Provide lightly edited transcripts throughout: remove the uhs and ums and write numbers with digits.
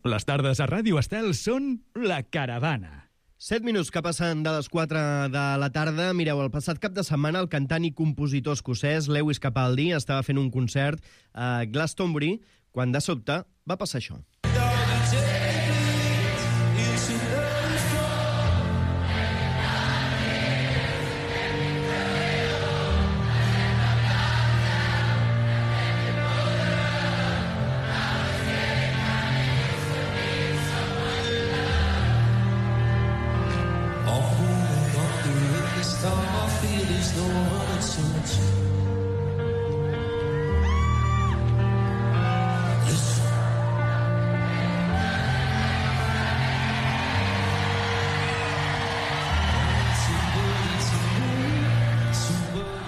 Les tardes a Ràdio Estel són La Caravana. 7 minuts que passen de les 4 de la tarda. Mireu, el passat cap de setmana el cantant i compositor escocès Lewis Capaldi estava fent un concert a Glastonbury quan de sobte va passar això.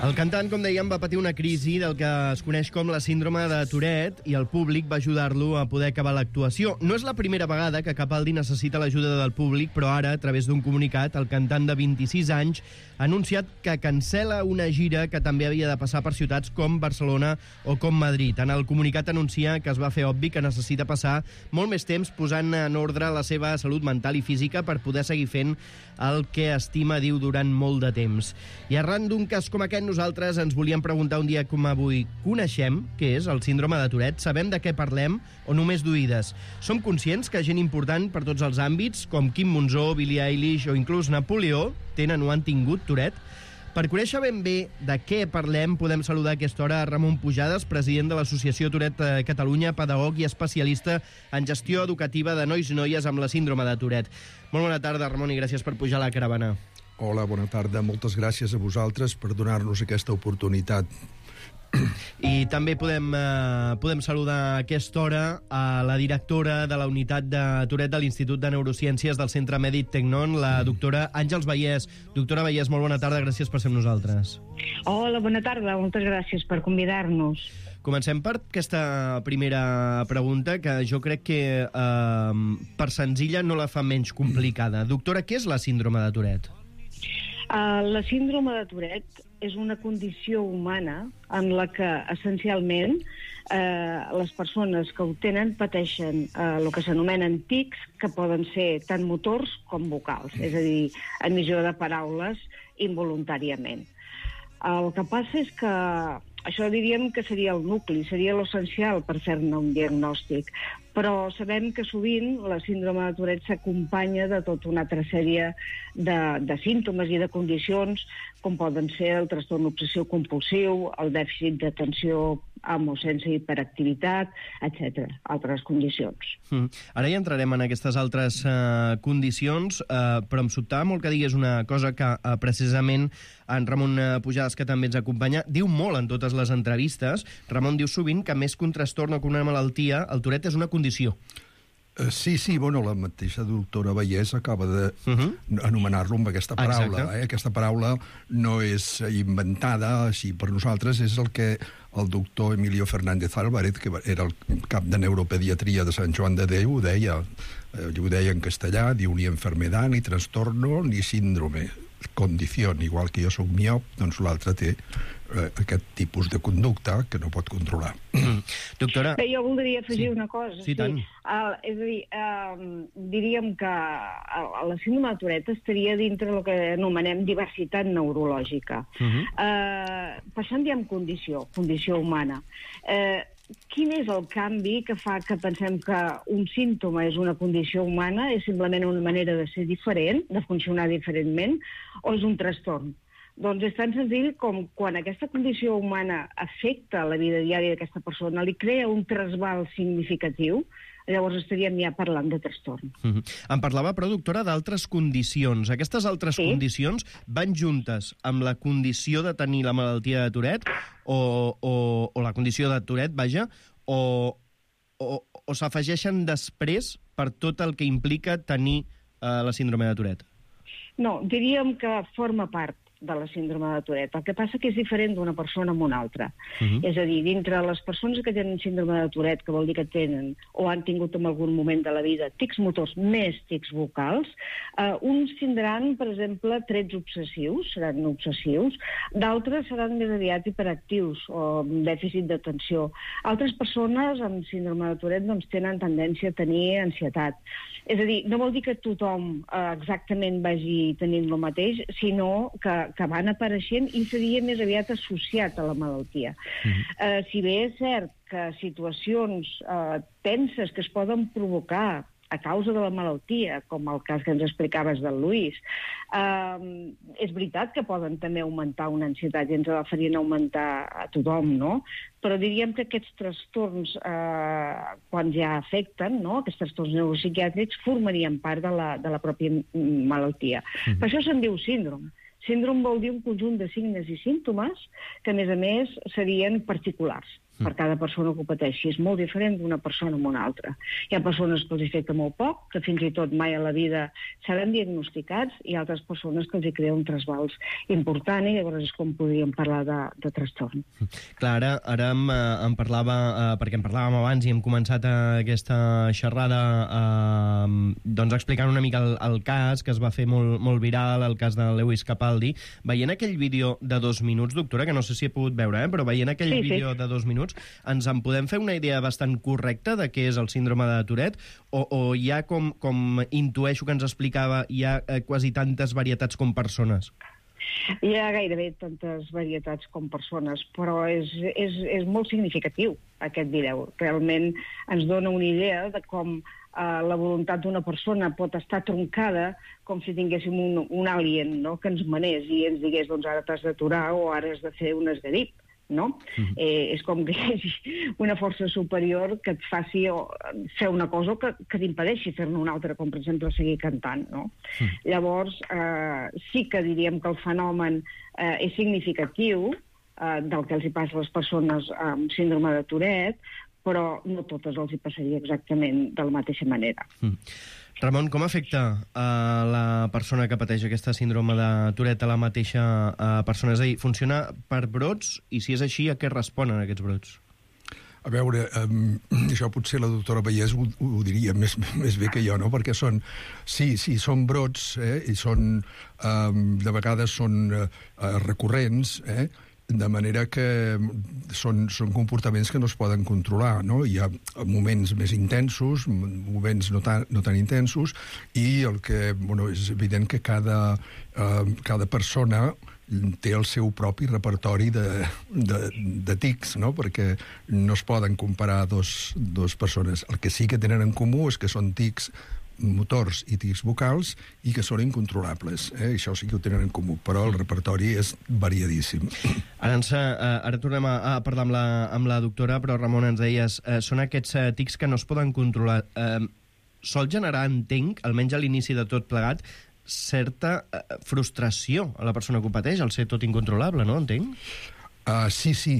El cantant, com dèiem, va patir una crisi del que es coneix com la síndrome de Tourette i el públic va ajudar-lo a poder acabar l'actuació. No és la primera vegada que Capaldi necessita l'ajuda del públic, però ara, a través d'un comunicat, el cantant de 26 anys ha anunciat que cancela una gira que també havia de passar per ciutats com Barcelona o com Madrid. En el comunicat anuncia que es va fer obvi que necessita passar molt més temps posant en ordre la seva salut mental i física per poder seguir fent el que estima, diu, durant molt de temps. I arran d'un cas com aquest, nosaltres ens volíem preguntar un dia com avui: coneixem què és el síndrome de Tourette? Sabem de què parlem o només d'oïdes? Som conscients que gent important per tots els àmbits, com Quim Monzó, Billie Eilish o inclús Napoleó, tenen o han tingut Tourette? Per conèixer ben bé de què parlem, podem saludar a aquesta hora a Ramon Pujades, president de l'Associació Tourette Catalunya, pedagog i especialista en gestió educativa de nois i noies amb la síndrome de Tourette. Molt bona tarda, Ramon, i gràcies per pujar a la caravana. Hola, bona tarda. Moltes gràcies a vosaltres per donar-nos aquesta oportunitat. I també podem saludar a aquesta hora a la directora de la unitat de Tourette de l'Institut de Neurociències del Centre Mèdic Tecnon, la doctora Àngels Vallès. Doctora Vallès, molt bona tarda, gràcies per ser amb nosaltres. Hola, bona tarda, moltes gràcies per convidar-nos. Comencem per aquesta primera pregunta, que jo crec que per senzilla no la fa menys complicada. Doctora, què és la síndrome de Tourette? La síndrome de Tourette és una condició humana en la que, essencialment, les persones que ho tenen pateixen el que s'anomenen tics, que poden ser tant motors com vocals, és a dir, emissió de paraules involuntàriament. El que passa és que això diríem que seria el nucli, seria l'essencial per fer-ne un diagnòstic, però sabem que sovint la síndrome de Tourette s'acompanya de tota una altra sèrie de símptomes i de condicions, com poden ser el trastorn obsessiu-compulsiu, el dèficit d'atenció amb o sense hiperactivitat, etc. Altres condicions. Ara ja entrarem en aquestes altres condicions, però em sobtava molt que digués una cosa que precisament en Ramon Pujades, que també ens acompanya, diu molt en totes les entrevistes. Ramon diu sovint que més que un trastorn o que una malaltia, el Tourette és una condició. Sí, bueno, la mateixa doctora Vallès acaba d'anomenar-lo amb aquesta paraula. Aquesta paraula no és inventada així per nosaltres, és el que el doctor Emilio Fernández Álvarez, que era el cap de neuropediatria de Sant Joan de Déu, ho deia en castellà, diu ni enfermedad, ni trastorno, ni síndrome, condició. Igual que jo soc miop, doncs l'altre té aquest tipus de conducta que no pot controlar. Doctora... Jo voldria afegir una cosa. Sí, tant. És a dir, diríem que la síndrome de Tourette estaria dintre el que anomenem diversitat neurològica. Per això en diem condició humana. Quin és el canvi que fa que pensem que un símptoma és una condició humana, és simplement una manera de ser diferent, de funcionar diferentment, o és un trastorn? Doncs és tan senzill com quan aquesta condició humana afecta la vida diària d'aquesta persona, li crea un trasbal significatiu, llavors estaríem ja parlant de trastorn. Em parlava, però, doctora, d'altres condicions. Aquestes altres condicions van juntes amb la condició de tenir la malaltia de Tourette, o la condició de Tourette, vaja, o s'afegeixen després per tot el que implica tenir la síndrome de Tourette? No, diríem que forma part de la síndrome de Tourette. El que passa que és diferent d'una persona amb una altra. És a dir, dintre les persones que tenen síndrome de Tourette, que vol dir que tenen o han tingut en algun moment de la vida tics motors més tics vocals, uns tindran, per exemple, trets obsessius, seran obsessius, d'altres seran més aviat hiperactius o amb dèficit d'atenció. Altres persones amb síndrome de Tourette doncs, tenen tendència a tenir ansietat. És a dir, no vol dir que tothom exactament vagi tenint el mateix, sinó que van apareixent i seria més aviat associat a la malaltia. Si bé és cert que situacions tenses que es poden provocar a causa de la malaltia, com el cas que ens explicaves del Lluís, és veritat que poden també augmentar una ansietat i ens la farien augmentar a tothom, no? Però diríem que aquests trastorns, quan ja afecten, no? Aquests trastorns neuropsiquiàtrics, formarien part de la pròpia malaltia. Per això se'n diu síndrome. Síndrome vol dir un conjunt de signes i símptomes que, a més, serien particulars per cada persona que ho pateixi. És molt diferent d'una persona amb una altra. Hi ha persones que els afecta molt poc, que fins i tot mai a la vida seran diagnosticats, i altres persones que els hi crea un trasbals important, i llavors és com podríem parlar de trastorn. Clar, ara em parlava, perquè en parlàvem abans i hem començat aquesta xerrada doncs explicant una mica el cas que es va fer molt viral, el cas de Lewis Capaldi. Veient aquell vídeo de 2 minuts, doctora, que no sé si he pogut veure, però veient aquell vídeo de 2 minuts, ens en podem fer una idea bastant correcta de què és el síndrome de Tourette? O hi ha, com intueixo que ens explicava, hi ha quasi tantes varietats com persones? Hi ha gairebé tantes varietats com persones, però és molt significatiu aquest vídeo. Realment ens dona una idea de com la voluntat d'una persona pot estar troncada com si tinguéssim un alien, no?, que ens manés i ens digués, doncs ara t'has d'aturar o ara has de fer un esgarip. No? És com que hi hagi una força superior que et faci fer una cosa que t'impedeixi fer-ne una altra, com per exemple seguir cantant, no? Llavors, sí que diríem que el fenomen és significatiu del que els hi passa a les persones amb síndrome de Tourette, però no totes els hi passaria exactament de la mateixa manera. Ramon, com afecta la persona que pateix aquesta síndrome de Tourette a la mateixa persona? És a dir, funciona per brots? I si és així, a què responen aquests brots? A veure, això potser la doctora Vallès ho diria més bé que jo, no? Perquè són brots, i són, de vegades són recurrents, de manera que són comportaments que no es poden controlar, no? Hi ha moments més intensos, moments no tan intensos, i el que, és evident que cada persona té el seu propi repertori de tics, no? Perquè no es poden comparar dos persones. El que sí que tenen en comú és que són tics motors i tics vocals i que són incontrolables. Això sí que ho tenen en comú, però el repertori és variadíssim. Ara tornem a parlar amb la doctora, però Ramon, ens deies, són aquests tics que no es poden controlar. Sol generar, entenc, almenys a l'inici de tot plegat, certa frustració a la persona que ho pateix, al ser tot incontrolable, no? Entenc? Sí.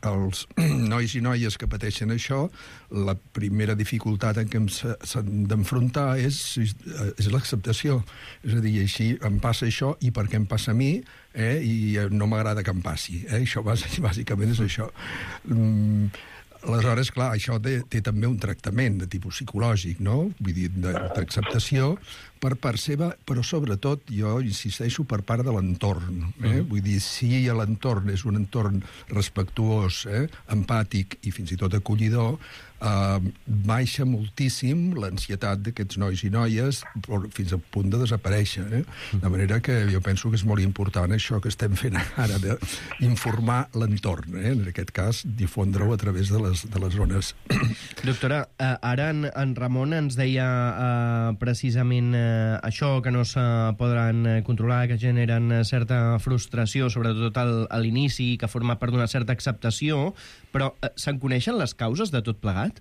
Els nois i noies que pateixen això, la primera dificultat en què s'han d'enfrontar és l'acceptació. És a dir, així em passa això i per què em passa a mi, i no m'agrada que em passi. Això bàsicament és això. Aleshores, clar, això té també un tractament de tipus psicològic, no? Vull dir, d'acceptació per part seva, però sobretot, jo insisteixo, per part de l'entorn. Vull dir, si l'entorn és un entorn respectuós, empàtic i fins i tot acollidor, baixa moltíssim l'ansietat d'aquests nois i noies fins al punt de desaparèixer. De manera que jo penso que és molt important això que estem fent ara, d'informar l'entorn, en aquest cas, difondre-ho a través de les zones. Doctora, ara en Ramon ens deia precisament això, que no se podran controlar, que generen certa frustració, sobretot a l'inici, que forma part d'una certa acceptació, però se'n coneixen les causes de tot plegat?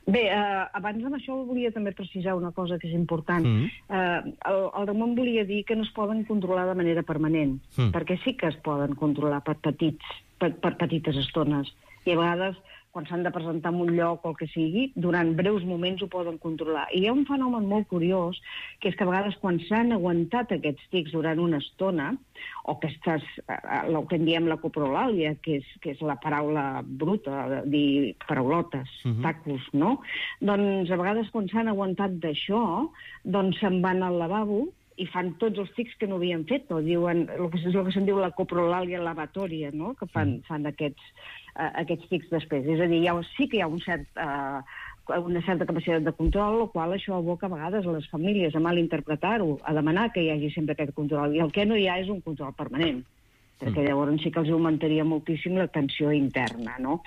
Bé, abans amb això volia també precisar una cosa que és important. El Ramon volia dir que no es poden controlar de manera permanent, perquè sí que es poden controlar per petites estones. I a vegades quan s'han de presentar en un lloc o el que sigui, durant breus moments ho poden controlar. I hi ha un fenomen molt curiós, que és que a vegades quan s'han aguantat aquests tics durant una estona, o el que en diem la coprolàlia, que és la paraula bruta, dir paraulotes, tacos, no? Doncs a vegades quan s'han aguantat d'això, doncs se'n van al lavabo i fan tots els tics que no havien fet, o diuen el que se'n diu la coprolàlia lavatòria, no? Que fan aquests tics després. És a dir, sí que hi ha una certa capacitat de control, el qual això aboca a vegades a les famílies a malinterpretar-ho, a demanar que hi hagi sempre aquest control. I el que no hi ha és un control permanent, perquè llavors sí que els augmentaria moltíssim la tensió interna, no?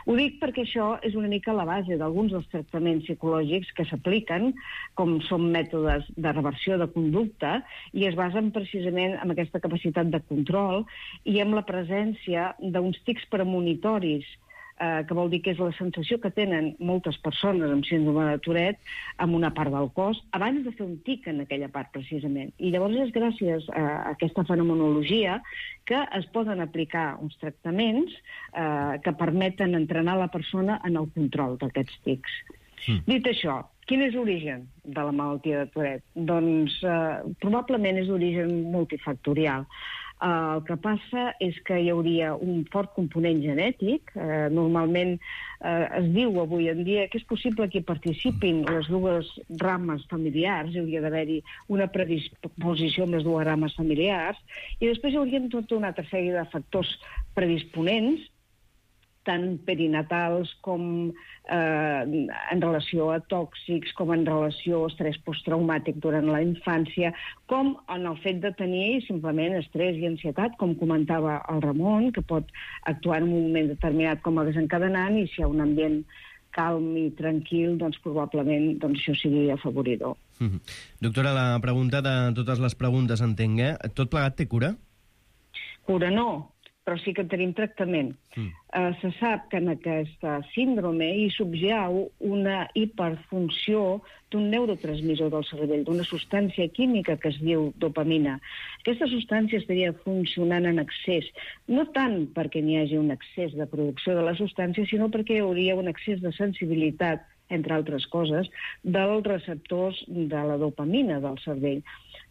Ho dic perquè això és una mica la base d'alguns dels tractaments psicològics que s'apliquen, com són mètodes de reversió de conducta, i es basen precisament en aquesta capacitat de control i en la presència d'uns tics premonitoris, que vol dir que és la sensació que tenen moltes persones amb síndrome de Tourette amb una part del cos, abans de fer un tic en aquella part, precisament. I llavors és gràcies a aquesta fenomenologia que es poden aplicar uns tractaments que permeten entrenar la persona en el control d'aquests tics. Dit això, quin és l'origen de la malaltia de Tourette? Doncs probablement és d'origen multifactorial. El que passa és que hi hauria un fort component genètic. Normalment es diu avui en dia que és possible que hi participin les dues rames familiars, hi hauria d'haver-hi una predisposició amb les dues rames familiars, i després hi haurien tota una altra sèrie de factors predisponents, tant perinatals com en relació a tòxics, com en relació a estrès posttraumàtic durant la infància, com en el fet de tenir simplement estrès i ansietat, com comentava el Ramon, que pot actuar en un moment determinat com a desencadenant, i si hi ha un ambient calm i tranquil, doncs probablement això sigui afavoridor. Doctora, la pregunta de totes les preguntes, entenc, tot plegat té cura? Cura no, però sí que tenim tractament. Se sap que en aquesta síndrome hi subjau una hiperfunció d'un neurotransmissor del cervell, d'una substància química que es diu dopamina. Aquesta substància estaria funcionant en excés, no tant perquè n'hi hagi un excés de producció de la substància, sinó perquè hi hauria un excés de sensibilitat, entre altres coses, dels receptors de la dopamina del cervell.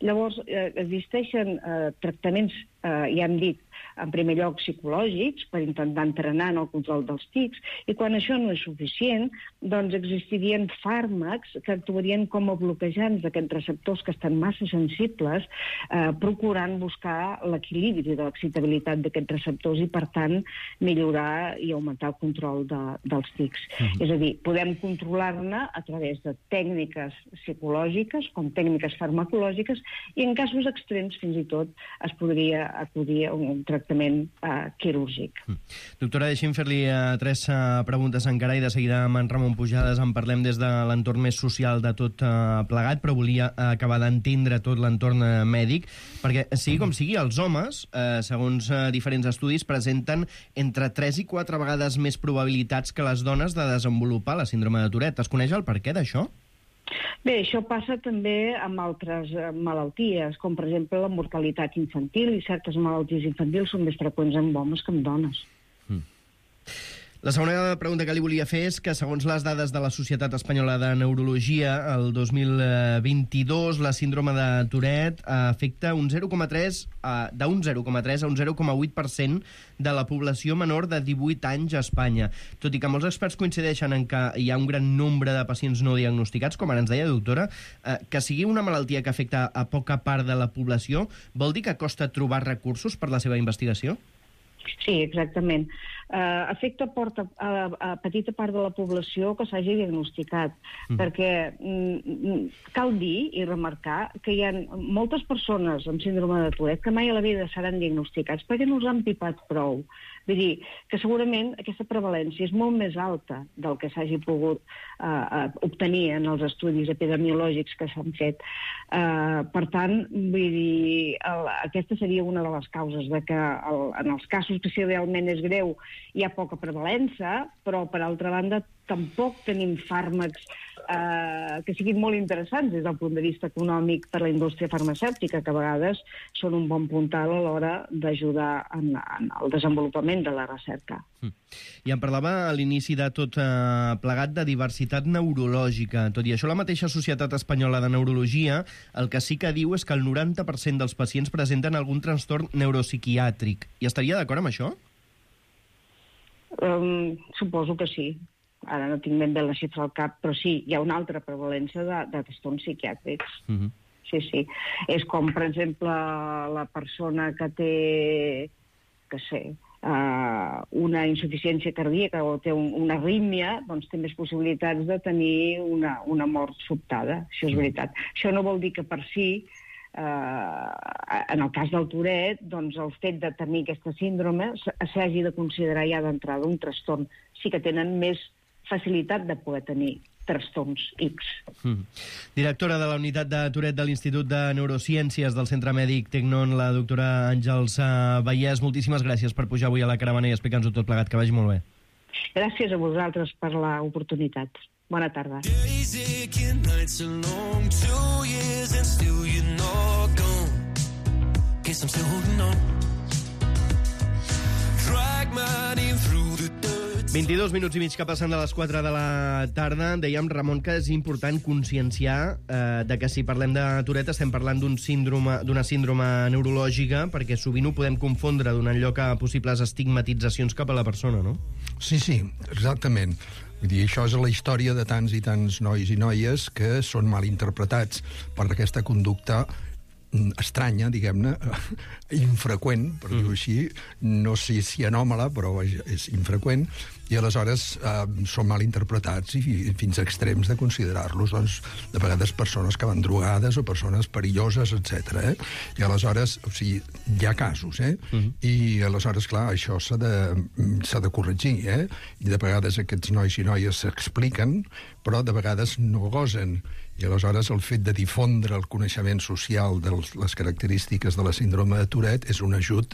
Llavors, existeixen tractaments, ja hem dit, en primer lloc psicològics, per intentar entrenar en el control dels tics, i quan això no és suficient, doncs existirien fàrmacs que actuarien com a bloquejants d'aquests receptors que estan massa sensibles, procurant buscar l'equilibri de l'excitabilitat d'aquests receptors i, per tant, millorar i augmentar el control dels tics. És a dir, podem controlar-ne a través de tècniques psicològiques com tècniques farmacològiques, i en casos extrems, fins i tot, es podria acudir a un tractament quirúrgic. Doctora, deixi'm fer-li 3 preguntes encara, i de seguida amb en Ramon Pujades en parlem des de l'entorn més social de tot plegat, però volia acabar d'entendre tot l'entorn mèdic, perquè sigui com sigui, els homes, segons diferents estudis, presenten entre 3 i 4 vegades més probabilitats que les dones de desenvolupar la síndrome de Tourette. Es coneix el perquè d'això? Bé, això passa també amb altres malalties, com per exemple la mortalitat infantil, i certes malalties infantils són més freqüents en homes que en dones. La segona pregunta que li volia fer és que, segons les dades de la Societat Espanyola de Neurologia, el 2022 la síndrome de Tourette afecta d'un 0,3 a un 0,8% de la població menor de 18 anys a Espanya. Tot i que molts experts coincideixen en que hi ha un gran nombre de pacients no diagnosticats, com ara ens deia, doctora, que sigui una malaltia que afecta a poca part de la població, vol dir que costa trobar recursos per la seva investigació? Sí, exactament. Afecta a petita part de la població que s'hagi diagnosticat, perquè cal dir i remarcar que hi ha moltes persones amb síndrome de Tourette que mai a la vida seran diagnosticats perquè no els han pipat prou. Vull dir que segurament aquesta prevalència és molt més alta del que s'hagi pogut obtenir en els estudis epidemiològics que s'han fet. Per tant, vull dir, aquesta seria una de les causes de que en els casos que si realment és greu hi ha poca prevalença, però per altra banda tampoc tenim fàrmacs que siguin molt interessants des del punt de vista econòmic per a la indústria farmacèutica, que a vegades són un bon puntal a l'hora d'ajudar en el desenvolupament de la recerca. I em parlava a l'inici de tot plegat de diversitat neurològica. Tot i això, la mateixa Societat Espanyola de Neurologia el que sí que diu és que el 90% dels pacients presenten algun trastorn neuropsiquiàtric. I estaria d'acord amb això? Suposo que sí. Ara no tinc ben bé la xifra al cap, però sí, hi ha una altra prevalència de trastorns psiquiàtrics. Sí. És com, per exemple, la persona que té, una insuficiència cardíaca o té una arrítmia, doncs té més possibilitats de tenir una mort sobtada. Això és veritat. Això no vol dir que per si, en el cas del Tourette, doncs el fet de tenir aquesta síndrome s'hagi de considerar ja d'entrada un trastorn. Sí que tenen més facilitat de poder tenir trastorns X. Directora de la unitat de Tourette de l'Institut de Neurociències del Centre Mèdic Tecnon, la doctora Àngels Vallès, moltíssimes gràcies per pujar avui a la caravana i explicar-nos-ho tot plegat. Que vagi molt bé. Gràcies a vosaltres per l'oportunitat. Bona tarda. Guess I'm still holding on. Drag my name through the dirt. 22 minuts i mig que passen de les 4 de la tarda. Dèiem, Ramon, que és important conscienciar de que si parlem de Tourette estem parlant d'una síndrome neurològica, perquè sovint ho podem confondre donant lloc a possibles estigmatitzacions cap a la persona, no? Sí, exactament. Vull dir, això és la història de tants i tants nois i noies que són mal interpretats per aquesta conducta estranya, diguem-ne, infreqüent, per dir-ho així, no sé si anòmala, però és infreqüent, i aleshores són mal interpretats i fins a extrems de considerar-los, doncs, de vegades persones que van drogades o persones perilloses, etc. I aleshores, o sigui, hi ha casos, I aleshores, clar, això s'ha de corregir, I de vegades aquests nois i noies s'expliquen, però de vegades no gosen. I aleshores el fet de difondre el coneixement social de les característiques de la síndrome de Tourette és un ajut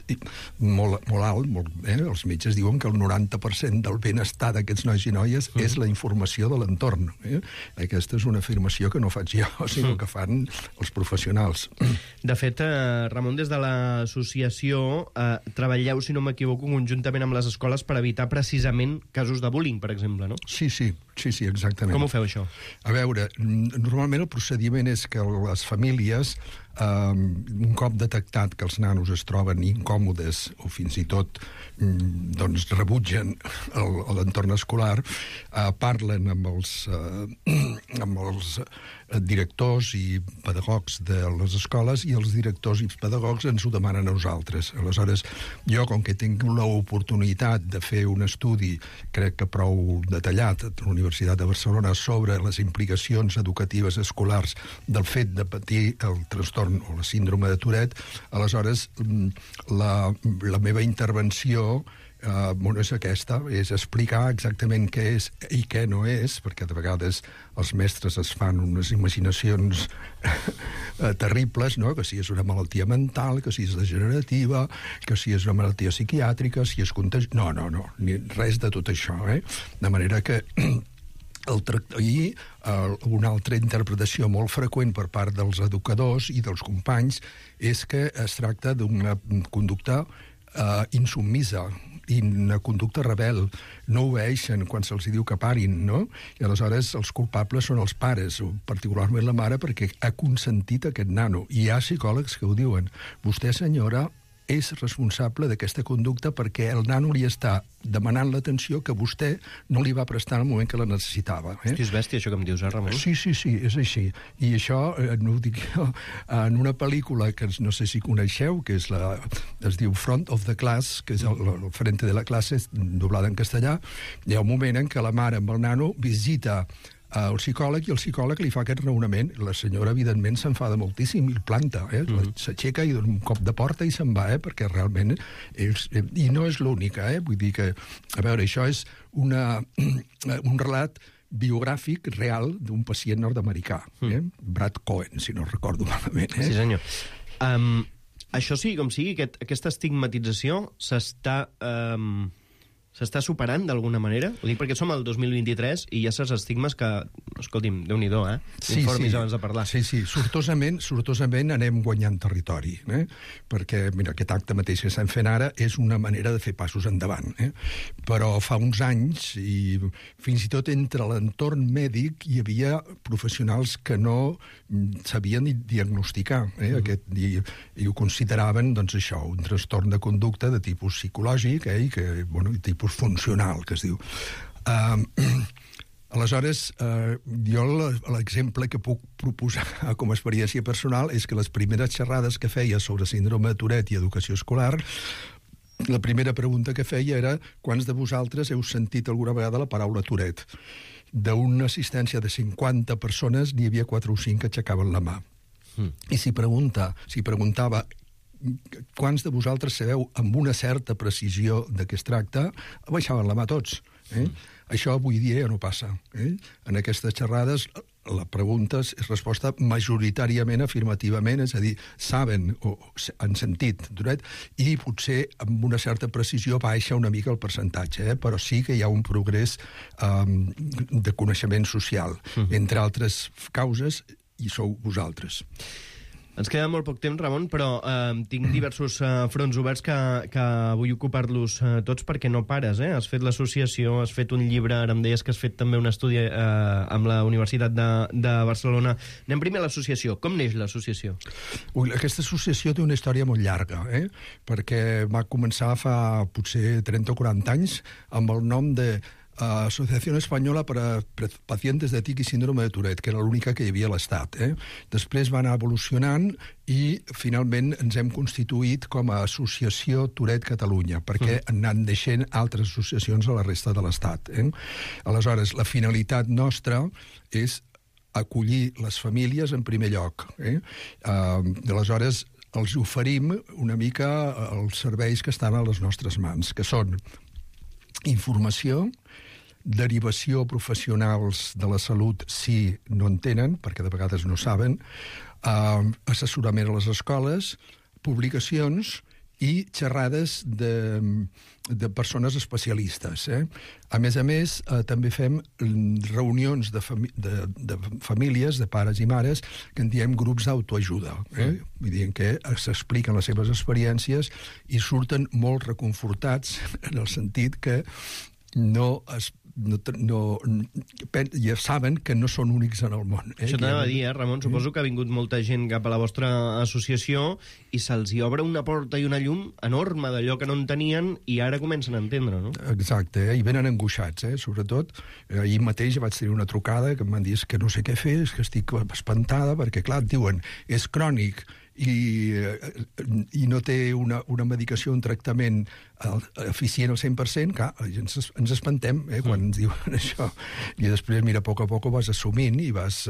molt alt. Els metges diuen que el 90% del benestar d'aquests nois i noies és la informació de l'entorn. Aquesta és una afirmació que no faig jo, sinó que fan els professionals. De fet, Ramon, des de l'associació treballeu, si no m'equivoco, conjuntament amb les escoles per evitar precisament casos de bullying, per exemple, no? Sí, exactament. Com ho feu, això? A veure, normalment el procediment és que les famílies, un cop detectat que els nanos es troben incòmodes o fins i tot doncs rebutgen l'entorn escolar, parlen amb els directors i pedagogs de les escoles i els directors i pedagogs ens ho demanen a nosaltres. Aleshores, jo, com que tinc l'oportunitat de fer un estudi, crec que prou detallat, a la Universitat de Barcelona, sobre les implicacions educatives escolars del fet de patir el trastorn o la síndrome de Tourette, aleshores la meva intervenció és aquesta, és explicar exactament què és i què no és, perquè de vegades els mestres es fan unes imaginacions terribles, no? Que si és una malaltia mental, que si és degenerativa, que si és una malaltia psiquiàtrica, si és contagi... No, res de tot això, De manera que una altra interpretació molt freqüent per part dels educadors i dels companys és que es tracta d'una conducta insubmisa i una conducta rebel. No obeeixen quan se'ls diu que parin, no? I aleshores els culpables són els pares, o particularment la mare, perquè ha consentit aquest nano. I hi ha psicòlegs que ho diuen. Vostè, senyora, és responsable d'aquesta conducta perquè el nano li està demanant l'atenció que vostè no li va prestar en el moment que la necessitava. És bèstia, això que em dius, Ramon? Sí, és així. I això, no ho dic jo, en una pel·lícula que no sé si coneixeu, que es diu Front of the Class, que és el frente de la classe, doblada en castellà, hi ha un moment en què la mare amb el nano visita el psicòleg i el psicòleg li fa aquest raonament. La senyora, evidentment, s'enfada moltíssim i el planta, s'aixeca i dona un cop de porta i se'n va, perquè realment i no és l'única, vull dir que, a veure, això és un relat biogràfic real d'un pacient nord-americà, Brad Cohen, si no recordo malament. Sí, senyor. Això sí, com sigui, aquesta estigmatització s'està S'està superant d'alguna manera? Ho dic perquè som al 2023 i hi ha certs estigmes que, escolti'm, Déu-n'hi-do, informis abans de parlar. Sí, sortosament anem guanyant territori, perquè, mira, aquest acte mateix que estem fent ara és una manera de fer passos endavant, però fa uns anys, i fins i tot entre l'entorn mèdic, hi havia professionals que no sabien diagnosticar, i ho consideraven, doncs això, un trastorn de conducta de tipus psicològic, i tipus funcional, que es diu. Aleshores, jo l'exemple que puc proposar com a experiència personal és que les primeres xerrades que feia sobre síndrome de Tourette i educació escolar, la primera pregunta que feia era quants de vosaltres heu sentit alguna vegada la paraula Tourette? D'una assistència de 50 persones n'hi havia 4 o 5 que aixecaven la mà. I si preguntava quants de vosaltres sabeu amb una certa precisió de què es tracta, baixaven la mà tots. Això avui dia ja no passa. En aquestes xerrades la pregunta és resposta majoritàriament afirmativament, és a dir, saben o han sentit Tourette, i potser amb una certa precisió baixa una mica el percentatge, però sí que hi ha un progrés de coneixement social. Entre altres causes, hi sou vosaltres. Ens queda molt poc temps, Ramon, però tinc diversos fronts oberts que vull ocupar-los tots perquè no pares. Has fet l'associació, has fet un llibre, ara em deies que has fet també un estudi amb la Universitat de Barcelona. Anem primer a l'associació. Com neix l'associació? Aquesta associació té una història molt llarga, perquè va començar fa potser 30 o 40 anys amb el nom de Asociación Española para Pacientes de Tic i Síndrome de Tourette, que era l'única que hi havia a l'Estat. Després va anar evolucionant i finalment ens hem constituït com a Associació Tourette Catalunya, perquè han anat naixent altres associacions a la resta de l'Estat. Aleshores, la finalitat nostra és acollir les famílies en primer lloc. Aleshores, els oferim una mica els serveis que estan a les nostres mans, que són informació, derivació professionals de la salut si no en tenen, perquè de vegades no saben, assessorament a les escoles, publicacions i xerrades de persones especialistes. A més, també fem reunions de famílies, de pares i mares, que en diem grups d'autoajuda. Vull dir que s'expliquen les seves experiències i surten molt reconfortats en el sentit que ja saben que no són únics en el món. Això t'anava a dir, Ramon, suposo que ha vingut molta gent cap a la vostra associació i se'ls hi obre una porta i una llum enorme d'allò que no en tenien i ara comencen a entendre, no? Exacte, i venen angoixats, sobretot. Ahir mateix vaig tenir una trucada que em van dir que no sé què fer, que estic espantada, perquè, clar, et diuen, és crònic, i no té una medicació, un tractament eficient al 100%, clar, ens espantem quan ens diuen això. I després, mira, a poc ho vas assumint i vas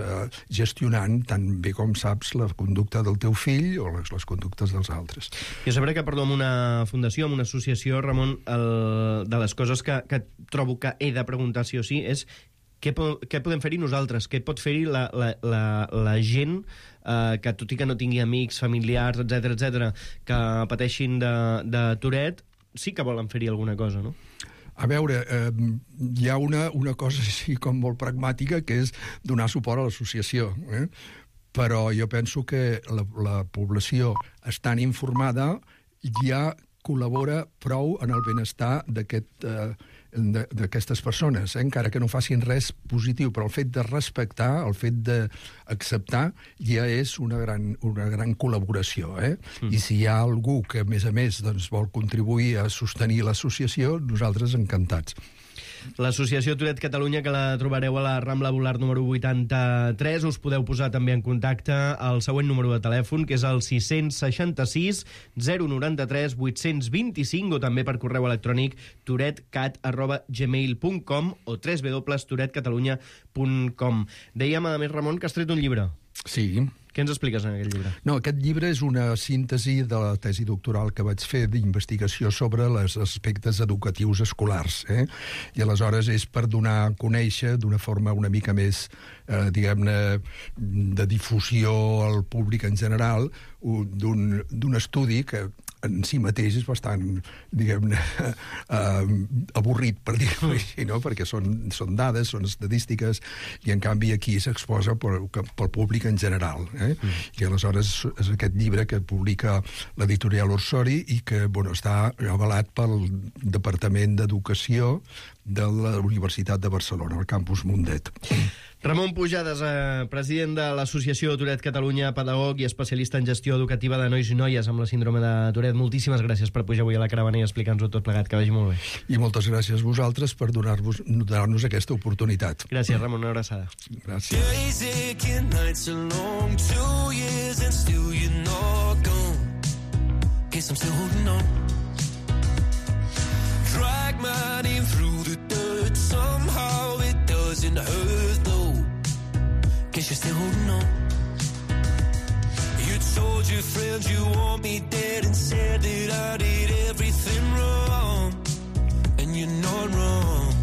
gestionant tan bé com saps la conducta del teu fill o les conductes dels altres. Jo sabré que, amb una fundació, amb una associació, Ramon, de les coses que trobo que he de preguntar sí o sí és què podem fer-hi nosaltres? Què pot fer-hi la gent que, tot i que no tingui amics, familiars, etc, que pateixin de Tourette, sí que volen fer-hi alguna cosa, no? A veure, hi ha una cosa així com molt pragmàtica, que és donar suport a l'associació. Però jo penso que la població estant informada ja col·labora prou en el benestar d'aquestes persones, encara que no facin res positiu, però el fet de respectar, el fet d'acceptar, ja és una gran col·laboració. I si hi ha algú que, a més, doncs, vol contribuir a sostenir l'associació, nosaltres encantats. L'associació Tourette Catalunya, que la trobareu a la Rambla Volart número 83. Us podeu posar també en contacte al següent número de telèfon, que és el 666 093 825, o també per correu electrònic tourettecat@gmail.com o www.tourettecatalunya.com. Dèiem, a més, Ramon, que has tret un llibre. Sí. Què ens expliques en aquest llibre? No, aquest llibre és una síntesi de la tesi doctoral que vaig fer d'investigació sobre els aspectes educatius escolars. I aleshores és per donar a conèixer d'una forma una mica més, diguem-ne, de difusió al públic en general, d'un estudi que en si mateix és bastant, diguem-ne, avorrit, per dir-ho així, no? Perquè són dades, són estadístiques, i en canvi aquí s'exposa pel públic en general. I aleshores és aquest llibre que publica l'editorial Orsori i que està avalat pel Departament d'Educació de la Universitat de Barcelona, al campus Mundet. Ramon Pujades, president de l'Associació Tourette Catalunya, pedagog i especialista en gestió educativa de nois i noies amb la síndrome de Tourette. Moltíssimes gràcies per pujar avui a la caravana i explicar-nos-ho tot plegat, que vagi molt bé. I moltes gràcies a vosaltres per donar-nos aquesta oportunitat. Gràcies, Ramon, una abraçada. Gràcies. Guess I'm still holding on. Drag my name through the dirt. Somehow it doesn't hurt though. Guess you're still holding on. You told your friends you want me dead and said that I did everything wrong. And you're not wrong.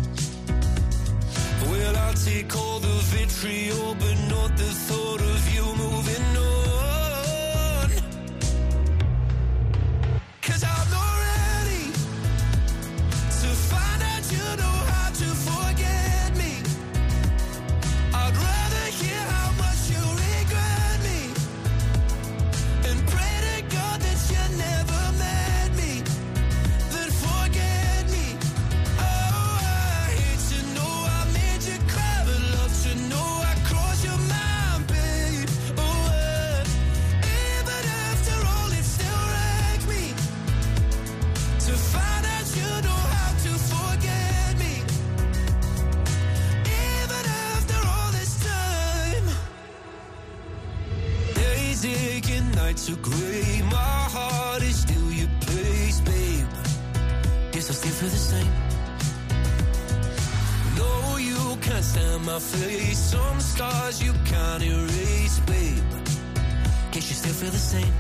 Well, I'll take all the vitriol, but not the thought of you moving on. I'm not ready to find out you know how to forget me. I'd rather hear how much you regret me and pray to God that you never met me, then forget me. Oh, I hate to know I made you cry, but love to know I crossed your mind, babe. Oh, even after all it still wrecks me to find out you know how to forget me, even after all this time. Days ache and nights are grey. My heart is still your place, babe. Guess I still feel the same. No, you can't stand my face. Some scars you can't erase, babe. Guess you still feel the same.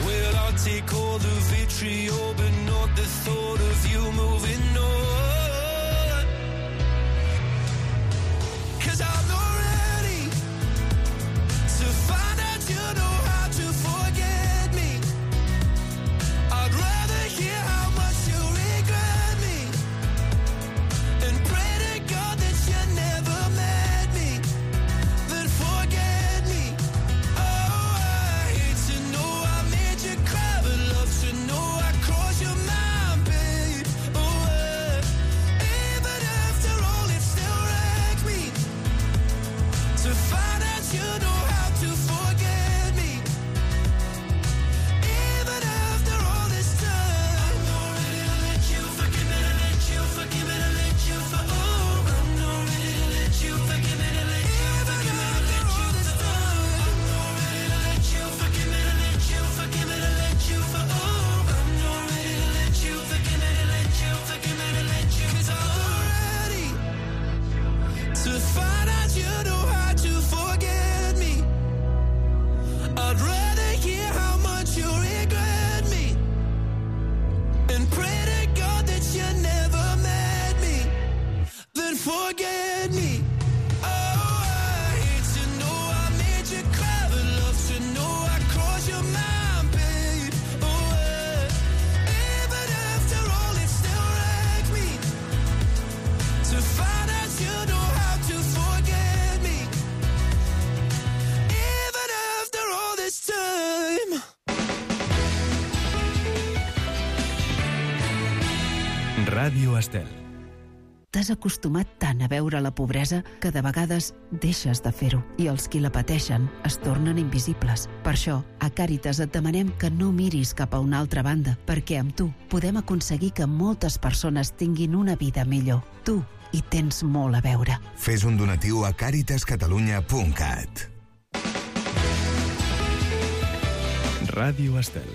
Well, I'll take all the vitriol, but not the thought of you moving on. 'Cause I'm not ready to find out you know how to forget me. I'd rather hear how much you regret me and pray to God that you never met me, then forget me. Oh, I hate to know I made you cry, but love to know I crossed your mind, babe. Oh, even after all it still wrecks me to find out you know how to forget me, even after all this time. I'm not ready to let you forgive me, to let you forgive me, to let you for oh. I'm not ready to let you forgive me, to let you forgive me, to let you for oh. I'm not ready to let you forgive me, to let you forgive me, to let you for oh. I'm not ready to let you forgive me, to let you forgive me, to let you 'cause I'm not ready to find out you know how to forget me. I'd rather hear how much you regret me and pray to God that you never met me, then forget me. Oh, I hate to know I made you cry, but love to know I crossed your mind, babe. Oh, even after all it still wrecks me to find out you know how to forget me, even after all this time. Ràdio Estel. T'has acostumat tant a veure la pobresa que de vegades deixes de fer-ho i els qui la pateixen es tornen invisibles. Per això, a Càritas et demanem que no miris cap a una altra banda, perquè amb tu podem aconseguir que moltes persones tinguin una vida millor. Tu hi tens molt a veure. Fes un donatiu a caritascatalunya.cat. Ràdio Estel.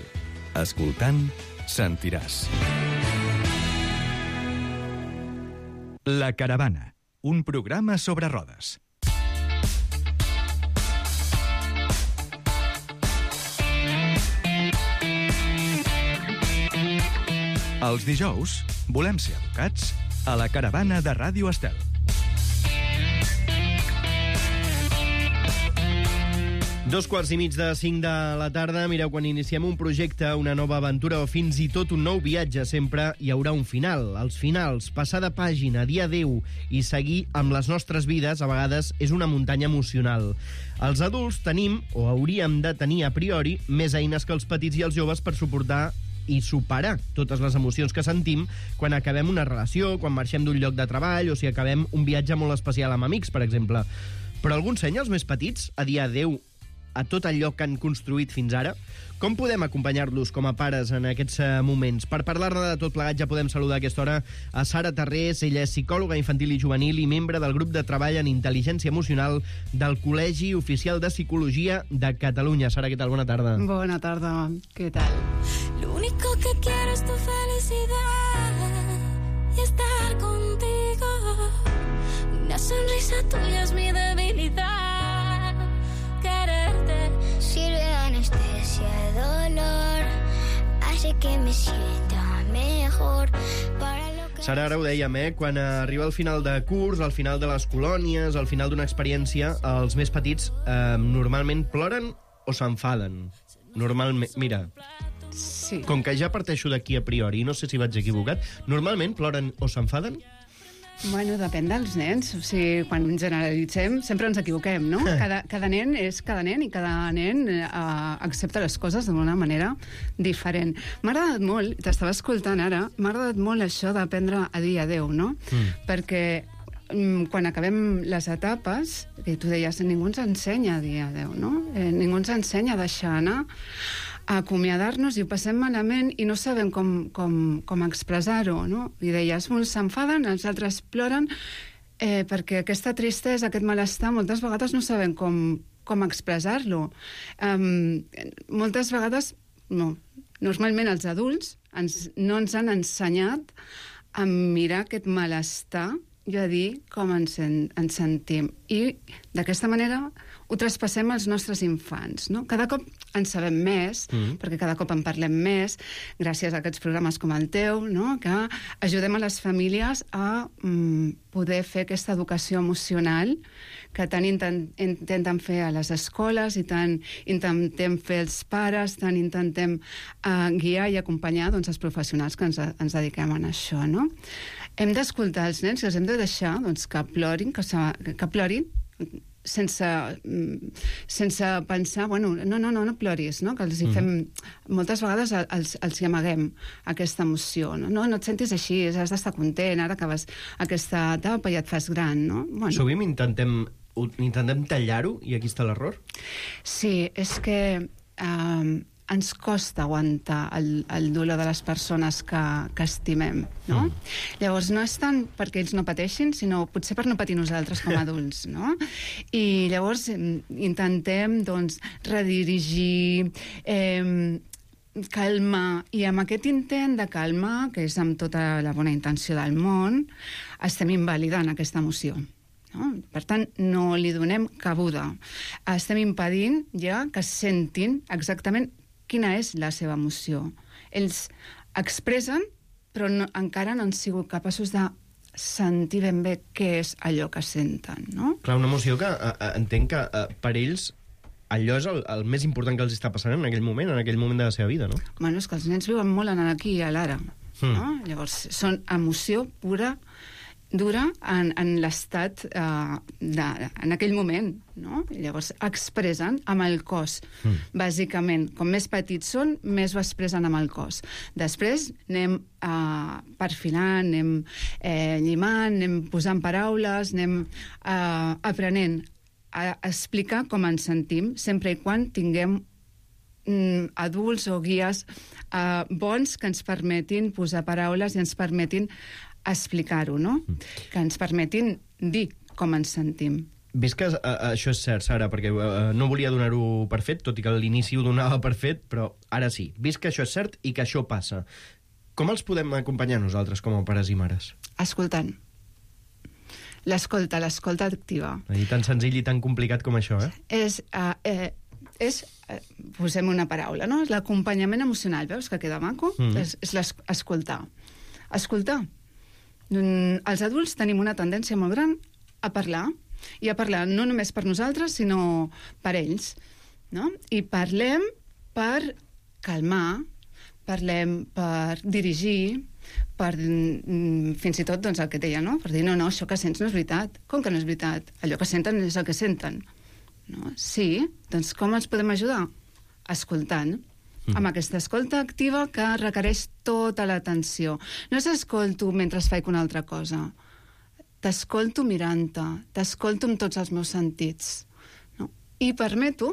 Escoltant, sentiràs. La Caravana, un programa sobre rodes. Els dijous volem ser educats a la Caravana de Ràdio Estel. 2:15 de la tarda. Mireu, quan iniciem un projecte, una nova aventura o fins i tot un nou viatge, sempre hi haurà un final. Els finals, passar de pàgina, dir adéu i seguir amb les nostres vides, a vegades és una muntanya emocional. Els adults tenim, o hauríem de tenir a priori, més eines que els petits i els joves per suportar i superar totes les emocions que sentim quan acabem una relació, quan marxem d'un lloc de treball o si acabem un viatge molt especial amb amics, per exemple. Però algú ensenya als més petits a dir adéu a tot allò que han construït fins ara? Com podem acompanyar-los com a pares en aquests moments? Per parlar-ne de tot plegat ja podem saludar a aquesta hora a Sara Tarrés. Ella és psicòloga infantil i juvenil i membre del grup de treball en intel·ligència emocional del Col·legi Oficial de Psicologia de Catalunya. Sara, què tal? Bona tarda. Bona tarda, què tal? Lo único que quiero es tu felicidad y estar contigo. Una sonrisa tuya es mi debilidad. Quererte sirve de anestesia, dolor, hace que me sienta mejor. Para lo que Sara, ara ho dèiem, quan arriba el final de curs, al final de les colònies, al final d'una experiència, els més petits normalment ploren o s'enfaden? Normalment, mira, Sí. com que ja parteixo d'aquí a priori, no sé si vaig equivocat, normalment ploren o s'enfaden? Bueno, depèn dels nens. O sigui, quan generalitzem, sempre ens equivoquem, no? Cada nen és cada nen i cada nen accepta les coses d'una manera diferent. M'ha agradat molt, t'estava escoltant ara, m'ha agradat molt això d'aprendre a dir adéu, no? Perquè quan acabem les etapes, que tu deies, ningú ens ensenya a dir adéu, no? Ningú ens ensenya a deixar anar, a acomiadar-nos i ho passem malament i no sabem com expressar-ho, no? I deies, uns s'enfaden, els altres ploren, perquè aquesta tristesa, aquest malestar, moltes vegades no sabem com expressar-lo. Moltes vegades, no, normalment els adults no ens han ensenyat a mirar aquest malestar i a dir com ens sentim. I d'aquesta manera ho traspassem als nostres infants, no? Cada cop en sabem més, perquè cada cop en parlem més, gràcies a aquests programes com el teu, no? Que ajudem a les famílies a poder fer aquesta educació emocional que tant intenten fer a les escoles i tant intentem fer els pares, tant intentem guiar i acompanyar doncs, els professionals que ens dediquem a això, no? Hem d'escoltar els nens i els hem de deixar doncs, que plorin, que plorin sense pensar, bueno, no ploris, no? Que els hi fem... Moltes vegades els hi amaguem aquesta emoció, no? No et sentis així, has d'estar content, ara acabes aquesta etapa i et fas gran, no? Bueno. Sovint intentem tallar-ho i aquí està l'error? Sí, és que ens costa aguantar el dolor de les persones que estimem, no? Llavors, no és tant perquè ells no pateixin, sinó potser per no patir nosaltres com a adults, no? I llavors intentem, doncs, redirigir, calmar, i amb aquest intent de calmar, que és amb tota la bona intenció del món, estem invalidant aquesta emoció. No? Per tant, no li donem cabuda. Estem impedint ja que sentin exactament quina és la seva emoció. Ells expressen, però encara no han sigut capaços de sentir ben bé què és allò que senten, no? Clar, una emoció que entenc que per ells allò és el més important que els està passant en aquell moment de la seva vida, no? Bueno, és que els nens viuen molt en aquí i a l'ara, no? Llavors, són emoció pura, dura en l'estat en aquell moment, no? I llavors expressen amb el cos. Bàsicament, com més petits són, més ho expressen amb el cos. Després anem perfilant, anem llimant, anem posant paraules, anem aprenent a explicar com ens sentim, sempre i quan tinguem adults o guies bons que ens permetin posar paraules i ens permetin explicar-ho, no? Que ens permetin dir com ens sentim. Vist que això és cert, Sara, perquè no volia donar-ho per fet, tot i que a l'inici ho donava per fet, però ara sí. Vist que això és cert i que això passa, com els podem acompanyar nosaltres com a pares i mares? Escoltant. L'escolta activa. I tan senzill i tan complicat com això, posem una paraula, no? És l'acompanyament emocional, veus que queda maco? És l'escoltar. Escoltar. Els adults tenim una tendència molt gran a parlar, i a parlar no només per nosaltres, sinó per ells. no? I parlem per calmar, parlem per dirigir, per fins i tot doncs, el que deia, no? Per dir, no, això que sents no és veritat. Com que no és veritat? Allò que senten és el que senten. No? Sí, doncs com ens podem ajudar? Escoltant. Amb aquesta escolta activa que requereix tota l'atenció. No s'escolto mentre faig una altra cosa. T'escolto mirant-te, t'escolto amb tots els meus sentits. No? I permeto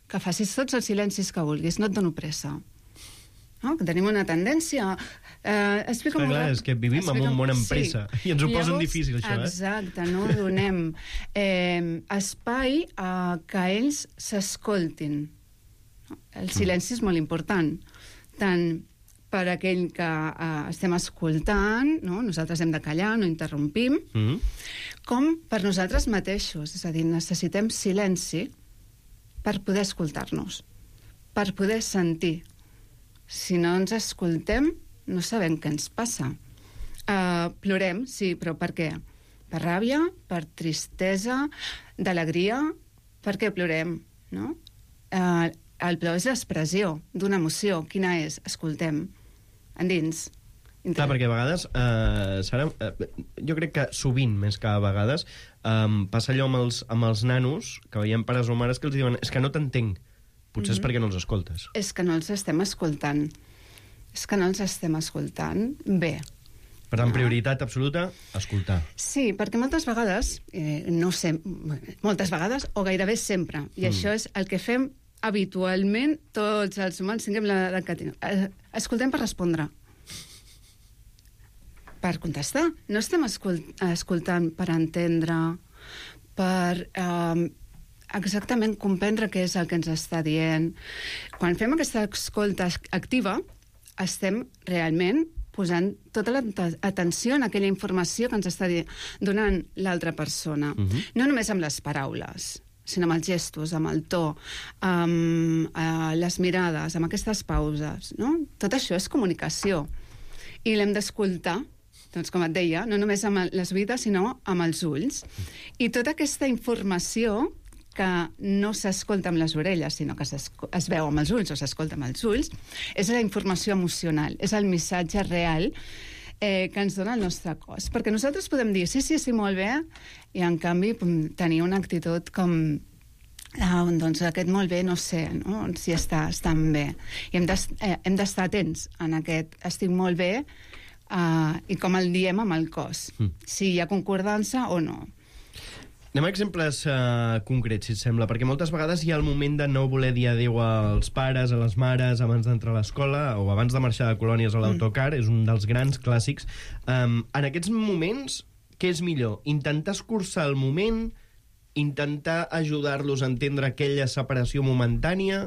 que facis tots els silencis que vulguis, no et dono pressa. No? Que tenim una tendència... Clar, és que vivim en un món amb pressa, i ens ho posen difícil, això. Exacte, no donem espai a que ells s'escoltin. El silenci és molt important, tant per aquell que estem escoltant, no? Nosaltres hem de callar, no interrompim, com per nosaltres mateixos. És a dir, necessitem silenci per poder escoltar-nos, per poder sentir. Si no ens escoltem, no sabem què ens passa. Plorem, sí, però per què? Per ràbia, per tristesa, d'alegria. Per què plorem? No? El plor és l'expressió d'una emoció. Quina és? Escoltem. Endins. Clar, perquè a vegades, Sara, jo crec que sovint, més que a vegades, passa allò amb els nanos, que veiem pares o mares que els diuen és que no t'entenc. Potser és perquè no els escoltes. És que no els estem escoltant. És que no els estem escoltant bé. Per tant, prioritat absoluta, escoltar. Sí, perquè moltes vegades, no sé, moltes vegades, o gairebé sempre, i això és el que fem habitualment tots els humans, tinguem l'edat que tinguem. Escoltem per respondre. Per contestar. No estem escoltant per entendre, per exactament comprendre què és el que ens està dient. Quan fem aquesta escolta activa, estem realment posant tota l'atenció en aquella informació que ens està donant l'altra persona. No només amb les paraules, sinó amb els gestos, amb el to, amb les mirades, amb aquestes pauses. No? Tot això és comunicació. I l'hem d'escoltar, doncs, com et deia, no només amb les oïdes, sinó amb els ulls. I tota aquesta informació que no s'escolta amb les orelles, sinó que es veu amb els ulls o s'escolta amb els ulls, és la informació emocional, és el missatge real que ens dona el nostre cos. Perquè nosaltres podem dir, sí, molt bé, i en canvi tenir una actitud com doncs aquest molt bé, no sé, no? Si estan bé. I hem d'estar atents en aquest estic molt bé i com el diem amb el cos. Si hi ha concordança o no. Anem a exemples concrets, si et sembla, perquè moltes vegades hi ha el moment de no voler dir adéu als pares, a les mares, abans d'entrar a l'escola o abans de marxar de colònies a l'autocar, és un dels grans clàssics. En aquests moments, què és millor? Intentar escurçar el moment, intentar ajudar-los a entendre aquella separació momentània?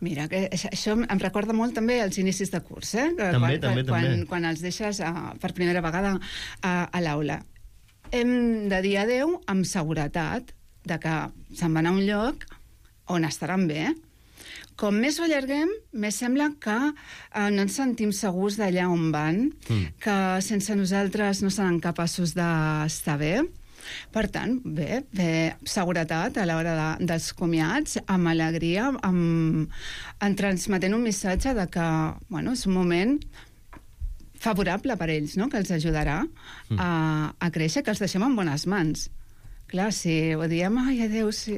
Mira, que això em recorda molt també als inicis de curs, També. Quan els deixes per primera vegada a l'aula. Hem de dir adéu amb seguretat de que se'n van a un lloc on estaran bé. Com més ho allarguem, més sembla que no ens sentim segurs d'allà on van, que sense nosaltres no seran capaços d'estar bé. Per tant, bé, seguretat a l'hora dels comiats, amb alegria, en transmetent un missatge de que és un moment favorable per ells, no? Que els ajudarà a créixer, que els deixem en bones mans. Clar, si ho diem, ai, adéu, sí,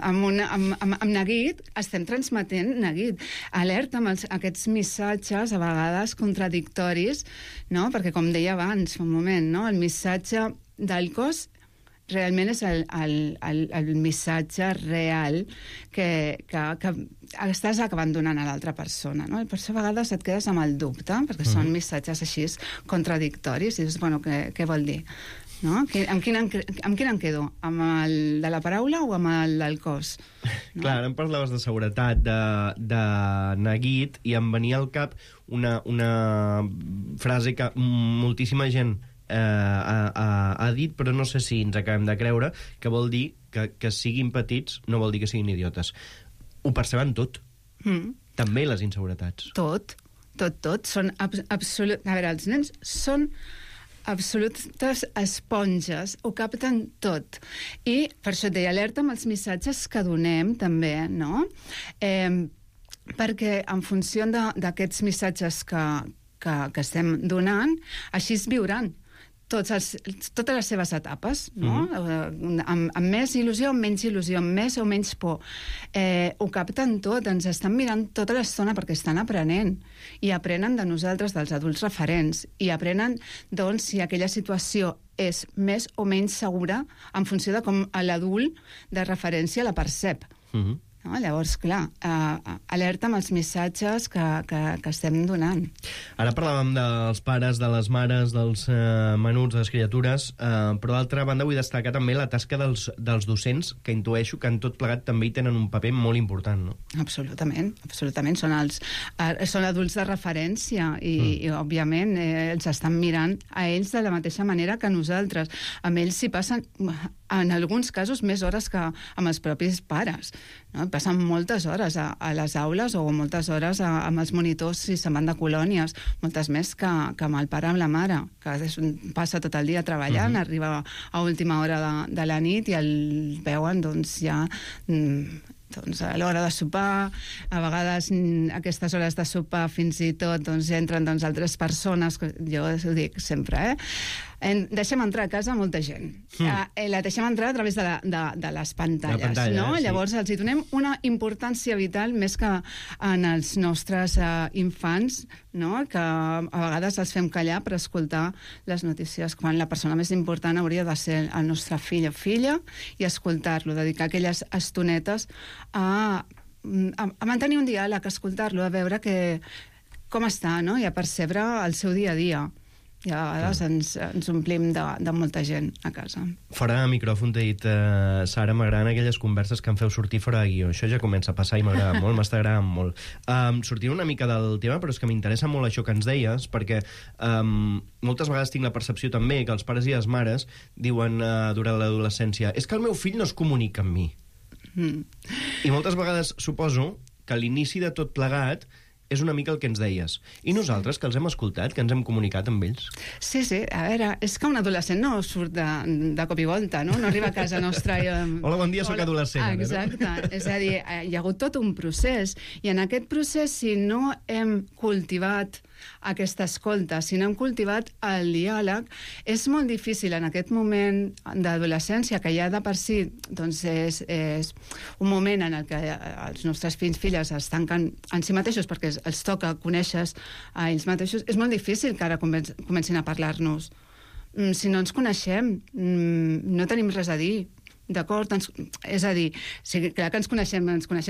amb neguit, estem transmetent neguit. Alerta amb aquests missatges, a vegades contradictoris, no? Perquè, com deia abans, fa un moment, no? El missatge del cos realment és el missatge real que estàs acabant donant a l'altra persona, no? Per això a vegades et quedes amb el dubte, perquè són missatges així contradictoris, i dius, bueno, què vol dir? No? Amb quin em quedo? Amb el de la paraula o amb el del cos? No? Clar, ara em parlaves de seguretat, de neguit, i em venia al cap una frase que moltíssima gent ha dit, però no sé si ens acabem de creure, que vol dir que siguin petits no vol dir que siguin idiotes. Ho perceben tot. També les inseguretats. Tot. Són A veure, els nens són absolutes esponges, ho capten tot. I per això et deia, alerta amb els missatges que donem, també, no? Perquè en funció d'aquests missatges que estem donant, així es viuran totes les seves etapes, no? Amb més il·lusió, amb menys il·lusió, amb més o menys por. Ho capten tot, ens estan mirant tota l'estona perquè estan aprenent, i aprenen de nosaltres, dels adults referents, i aprenen, doncs, si aquella situació és més o menys segura en funció de com l'adult de referència la percep. No? Llavors, clar, alerta amb els missatges que estem donant. Ara parlàvem dels pares, de les mares, dels menuts, de les criatures, però d'altra banda vull destacar també la tasca dels docents, que intueixo que en tot plegat també hi tenen un paper molt important, no? Absolutament, absolutament. Són adults de referència i òbviament, els estan mirant a ells de la mateixa manera que nosaltres. Amb ells s'hi passen, en alguns casos, més hores que amb els propis pares, no? Passen moltes hores a les aules o moltes hores amb els monitors si se'n van de colònies, moltes més que amb el pare amb la mare, que passa tot el dia treballant, arriba a última hora de la nit i el veuen doncs ja doncs, a l'hora de sopar, a vegades a aquestes hores de sopar fins i tot doncs, entren altres persones, jo ho dic sempre, deixem entrar a casa molta gent. La deixem entrar a través de les pantalles, no? Sí. Llavors els hi donem una importància vital més que en els nostres infants, no? Que a vegades els fem callar per escoltar les notícies, quan la persona més important hauria de ser el nostre fill o filla, i escoltar-lo, dedicar aquelles estonetes a mantenir un diàleg, a escoltar-lo, a veure com està, no? I a percebre el seu dia a dia. I a vegades ens omplim de molta gent a casa. Fora de micròfon t'he dit, Sara, m'agraden aquelles converses que em feu sortir fora de guió. Això ja comença a passar i m'agrada molt, m'està agradant molt. Sortint una mica del tema, però és que m'interessa molt això que ens deies, perquè moltes vegades tinc la percepció també que els pares i les mares diuen durant l'adolescència és que el meu fill no es comunica amb mi. I moltes vegades suposo que a l'inici de tot plegat és una mica el que ens deies. I nosaltres, que els hem escoltat, que ens hem comunicat amb ells? Sí, a veure, és que un adolescent no surt de cop i volta, no? No arriba a casa nostra i... Hola, bon dia, soc adolescent. Exacte. No? És a dir, hi ha hagut tot un procés. I en aquest procés, si no hem cultivat aquesta escolta, si no hem cultivat el diàleg, és molt difícil en aquest moment d'adolescència, que ja de per si doncs és un moment en el que els nostres fills i filles es tanquen en si mateixos perquè els toca conèixer a ells mateixos, és molt difícil que ara comencin a parlar-nos. Si no ens coneixem, no tenim res a dir. D'acord? És a dir, sí, clar que ens coneixem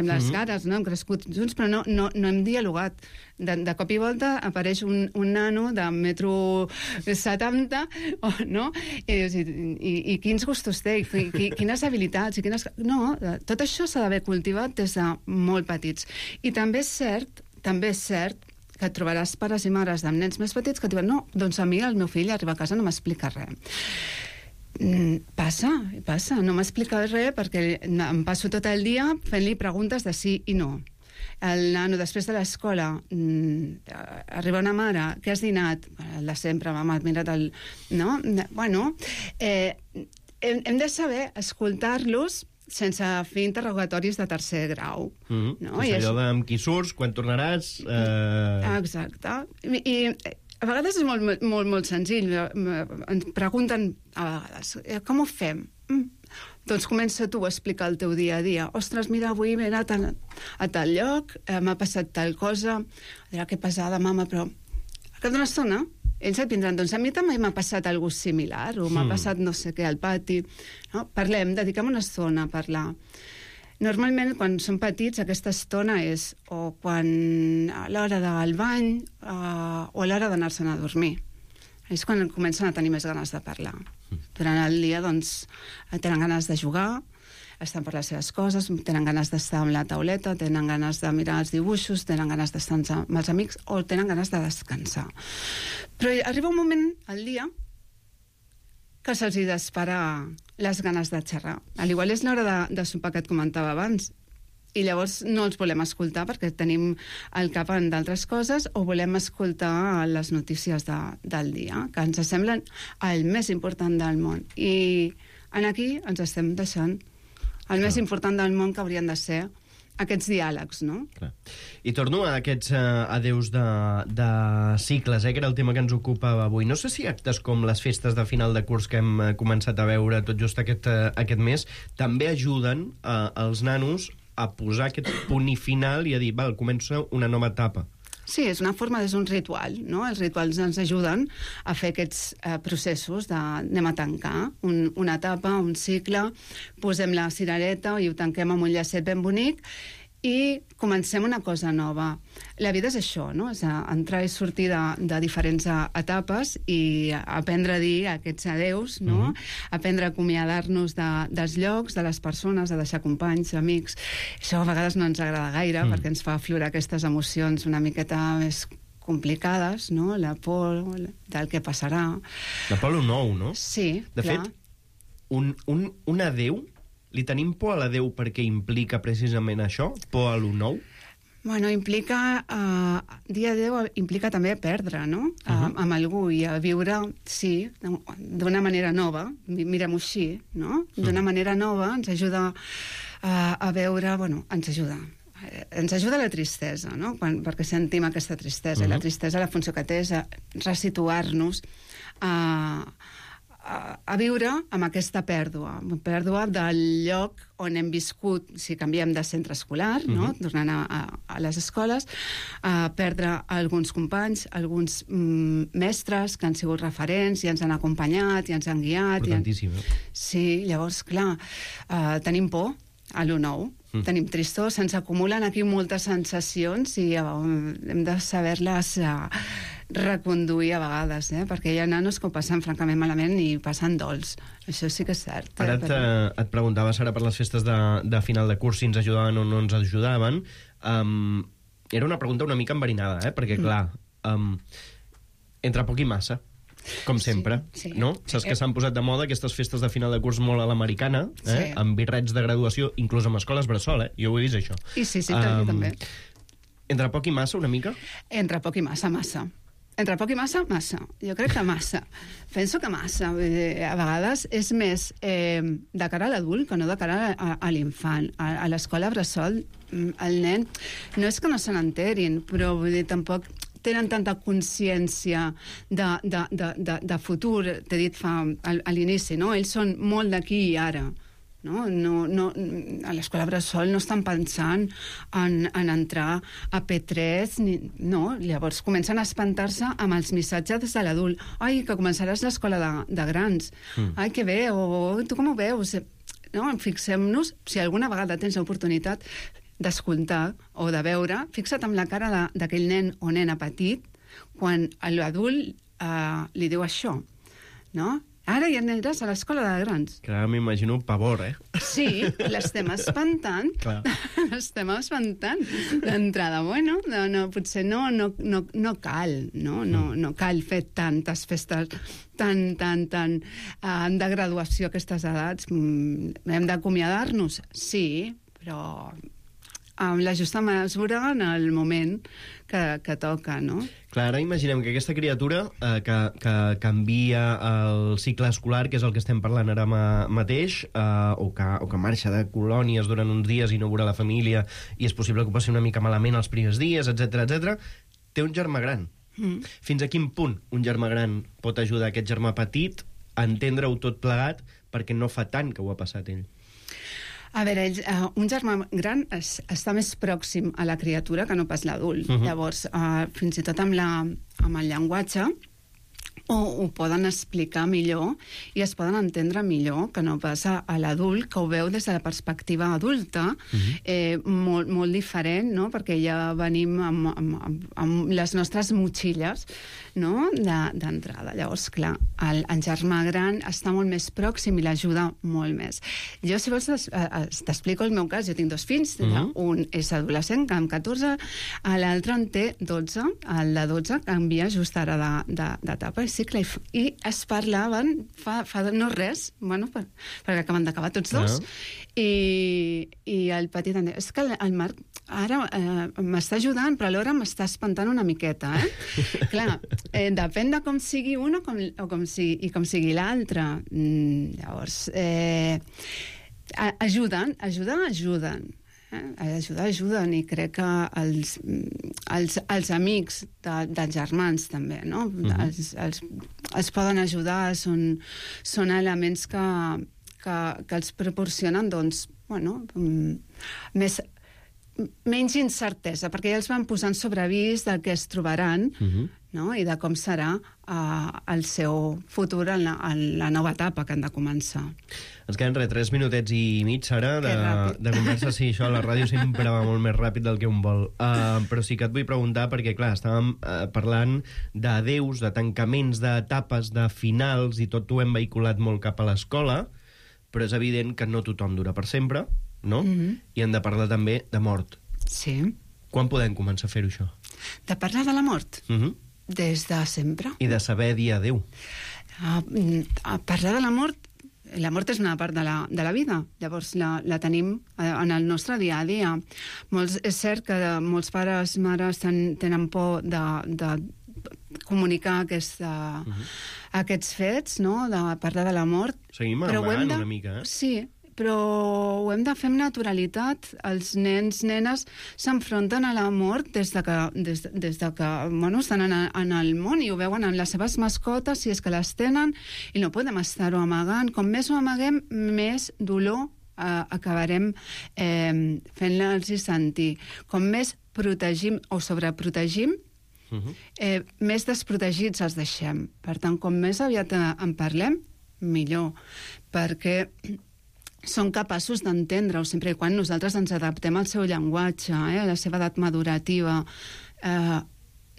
les cares, no? Hem crescut junts, però no hem dialogat. De cop i volta apareix un nano de 1,70 m, no? I quins gustos té, quines habilitats, No, tot això s'ha d'haver cultivat des de molt petits. I també és cert que et trobaràs pares i mares amb nens més petits que et diuen no, doncs a mi el meu fill arriba a casa no m'explica res. Passa, no m'explica res perquè em passo tot el dia fent-li preguntes de sí i no. El nano, després de l'escola, arriba una mare, què has dinat? El de sempre, mama, has mirat el... No? Bueno, hem de saber escoltar-los sense fer interrogatoris de tercer grau. No? És allò de amb qui surts, quan tornaràs... Exacte. I a vegades és molt senzill. Ens pregunten a vegades, com ho fem? Doncs comença tu a explicar el teu dia a dia. Ostres, mira, avui m'he anat a tal lloc, m'ha passat tal cosa, dirà que pesada, mama, però al cap d'una estona ells et vindran, doncs a mi també m'ha passat alguna cosa similar, o m'ha passat no sé què al pati. No? Parlem, dediquem una estona a parlar. Normalment, quan són petits, aquesta estona és o quan a l'hora del bany o a l'hora d'anar-se'n a dormir. És quan comencen a tenir més ganes de parlar. Durant el dia, doncs, tenen ganes de jugar, estan per les seves coses, tenen ganes d'estar amb la tauleta, tenen ganes de mirar els dibuixos, tenen ganes d'estar amb els amics o tenen ganes de descansar. Però arriba un moment al dia que se'ls disparar les ganes de xerrar. Al igual és l'hora de sopar que et comentava abans. i llavors no els volem escoltar perquè tenim el cap en d'altres coses o volem escoltar les notícies del dia, que ens semblen el més important del món. I aquí ens estem deixant el més important del món, que haurien de ser aquests diàlegs, no? Clar. I torno a aquests adeus de cicles, que era el tema que ens ocupava avui. No sé si actes com les festes de final de curs que hem començat a veure tot just aquest mes també ajuden als nanos a posar aquest punt i final i a dir, val, comença una nova etapa. Sí, és una forma, és un ritual, no? Els rituals ens ajuden a fer aquests processos anem a tancar una etapa, un cicle, posem la cirereta i ho tanquem amb un llacet ben bonic i comencem una cosa nova. La vida és això, no? És entrar i sortir de diferents etapes i aprendre a dir aquests adeus, no? Aprendre a acomiadar-nos dels llocs, de les persones, a deixar companys, amics. Això a vegades no ens agrada gaire perquè ens fa aflorar aquestes emocions una miqueta més complicades, no? La por del que passarà. La por a lo nou, no? Sí, de clar. fet, un adeu, li tenim por a l'adeu perquè implica precisament això? Por a lo nou? Bueno, implica... dir adéu implica també perdre, no? Amb algú i a viure, sí, d'una manera nova, mirem-ho així, no? D'una manera nova ens ajuda a veure... Bueno, ens ajuda la tristesa, no? Perquè sentim aquesta tristesa. I la tristesa, la funció que té és resituar-nos a viure amb aquesta pèrdua del lloc on hem viscut, si canviem de centre escolar, no? Tornant a les escoles, a perdre alguns companys, alguns mestres que han sigut referents i ens han acompanyat i ens han guiat. Importantíssim. Sí, llavors, clar, tenim por a lo nou. Tenim tristor, se'ns acumulen aquí moltes sensacions i hem de saber-les reconduir a vegades, perquè hi ha nanos que ho passen francament malament i passen dols. Això sí que és cert. Ara et preguntava, Sara, per les festes de final de curs, si ens ajudaven o no ens ajudaven. Era una pregunta una mica enverinada, perquè, clar, entre poc i massa, com sempre, sí. No? Saps que s'han posat de moda aquestes festes de final de curs molt a l'americana, amb birrets de graduació, inclús amb escoles bressol, jo ho he vist, això. I sí, també. Entre poc i massa, una mica? Entre poc i massa. Entre poc i massa. Jo crec que massa. Penso que massa. A vegades és més de cara a l'adult que no de cara a l'infant. A l'escola bressol, el nen, no és que no se n'enterin, però vull dir, tampoc tenen tanta consciència de futur, t'he dit a l'inici, no? Ells són molt d'aquí i ara. No, a l'escola bressol no estan pensant en entrar a P3, no, llavors comencen a espantar-se amb els missatges de l'adult. Ai, que començaràs l'escola de grans. Ai, que bé, o tu com ho veus? No, fixem-nos, si alguna vegada tens l'oportunitat d'escoltar o de veure, fixa't amb la cara d'aquell nen o nena petit quan l'adult li diu això, no? Ara ja aniràs a l'escola de grans. Clar, m'imagino pavor, Sí, l'estem espantant. L'estem espantant d'entrada. Bueno, potser no cal, no cal fer tantes festes tan de graduació a aquestes edats. Hem d'acomiadar-nos? Sí, però amb la justa mesura en el moment que toca, no? Clar, ara imaginem que aquesta criatura que canvia el cicle escolar, que és el que estem parlant ara mateix, o que marxa de colònies durant uns dies i no veurà la família, i és possible que ho passi una mica malament els primers dies, etc. Té un germà gran. Fins a quin punt un germà gran pot ajudar aquest germà petit a entendre-ho tot plegat perquè no fa tant que ho ha passat ell? A veure, un germà gran està més pròxim a la criatura que no pas l'adult. Llavors, fins i tot amb el llenguatge, ho poden explicar millor i es poden entendre millor que no pas a l'adult, que ho veu des de la perspectiva adulta, molt diferent, no? Perquè ja venim amb les nostres motxilles, no? D'entrada. Llavors, clar, el germà gran està molt més pròxim i l'ajuda molt més. Jo, si vols, t'explico el meu cas. Jo tinc 2 fills, un és adolescent, que amb 14, l'altre en té 12, el de 12 canvia just ara d'etapa. Sí cicle i es parlaven fa no res, bueno, perquè acaben d'acabar tots dos, i el petit em deia, és que el Marc ara m'està ajudant, però alhora m'està espantant una miqueta, Clar, depèn de com sigui un o com sigui l'altre. Llavors, ajuden. Ajuden, i crec que els amics dels germans també, no? Els poden ajudar, són elements que els proporcionen, doncs, bueno, menys incertesa, perquè ja els van posant sobre avís del que es trobaran, no? I de com serà el seu futur en la nova etapa que han de començar. Ens queden 3 minutets i mig, Sara, de conversa. Sí, això a la ràdio sempre va molt més ràpid del que un vol. Però sí que et vull preguntar, perquè, clar, estàvem parlant d'adeus, de tancaments, d'etapes, de finals, i tot ho hem vehiculat molt cap a l'escola, però és evident que no tothom dura per sempre, no? I hem de parlar també de mort. Sí. Quan podem començar a fer-ho, això? De parlar de la mort? Des de sempre. I de saber dir adéu. Parlar de la mort és una part de la vida, llavors la tenim en el nostre dia a dia. És cert que molts pares, mares tenen por de comunicar aquests fets, no? De parlar de la mort. Seguim amagant una mica, Sí, però ho hem de fer amb naturalitat. Els nens, nenes s'enfronten a la mort des de que bueno, estan en el món i ho veuen en les seves mascotes, si és que les tenen, i no podem estar-ho amagant. Com més ho amaguem, més dolor acabarem fent-los sentir. Com més protegim o sobreprotegim, més desprotegits els deixem. Per tant, com més aviat en parlem, millor, perquè són capaços d'entendre-ho sempre i quan nosaltres ens adaptem al seu llenguatge, a la seva edat madurativa.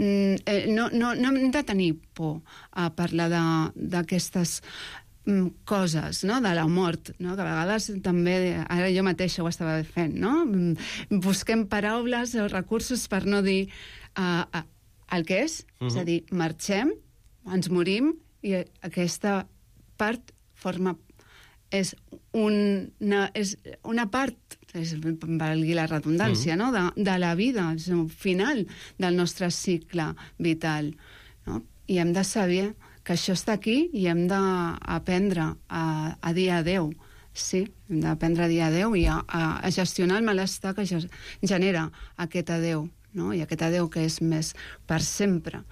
No hem de tenir por a parlar d'aquestes coses, no? De la mort, no? Que a vegades també, ara jo mateixa ho estava fent, no? Busquem paraules o recursos per no dir el que és a dir, marxem, ens morim, i aquesta part és una part, valgui la redundància, no? De la vida, és un final del nostre cicle vital, no? I hem de saber que això està aquí i hem d'aprendre a dir adéu. Sí, hem d'aprendre a dir adéu i a gestionar el malestar que genera aquest adéu, no? I aquest adéu que és més per sempre,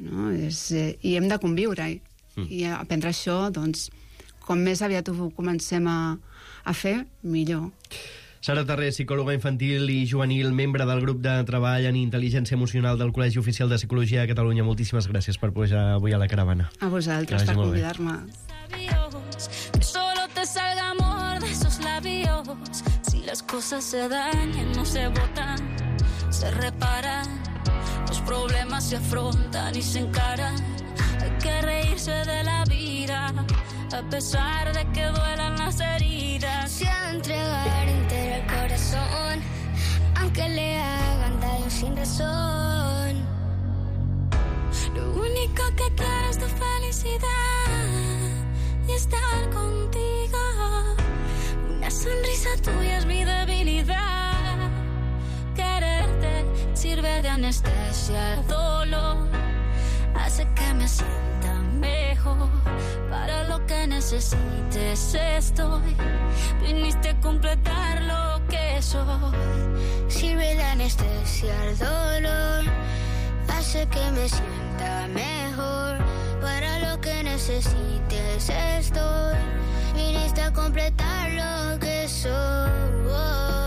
no? I hem de conviure-hi. I aprendre això, doncs, com més aviat ho comencem a fer, millor. Sara Terré, psicòloga infantil i juvenil, membre del grup de treball en intel·ligència emocional del Col·legi Oficial de Psicologia de Catalunya. Moltíssimes gràcies per pujar avui a la caravana. A vosaltres per convidar-me. Que solo te salga amor de esos labios. Si las cosas se dañan, no se botan, se reparan. Los problemas se afrontan y se encaran. Hay que reírse de la vida, a pesar de que duelan las heridas. Se ha de entregar entero el corazón, aunque le hagan daño sin razón. Lo único que quiero es tu felicidad y estar contigo. Una sonrisa tuya es mi debilidad. Quererte sirve de anestesia al dolor, hace que me sienta mejor. Para lo que necesites estoy. Viniste a completar lo que soy. Sirve de anestesia al dolor, hace que me sienta mejor. Para lo que necesites estoy. Viniste a completar lo que soy.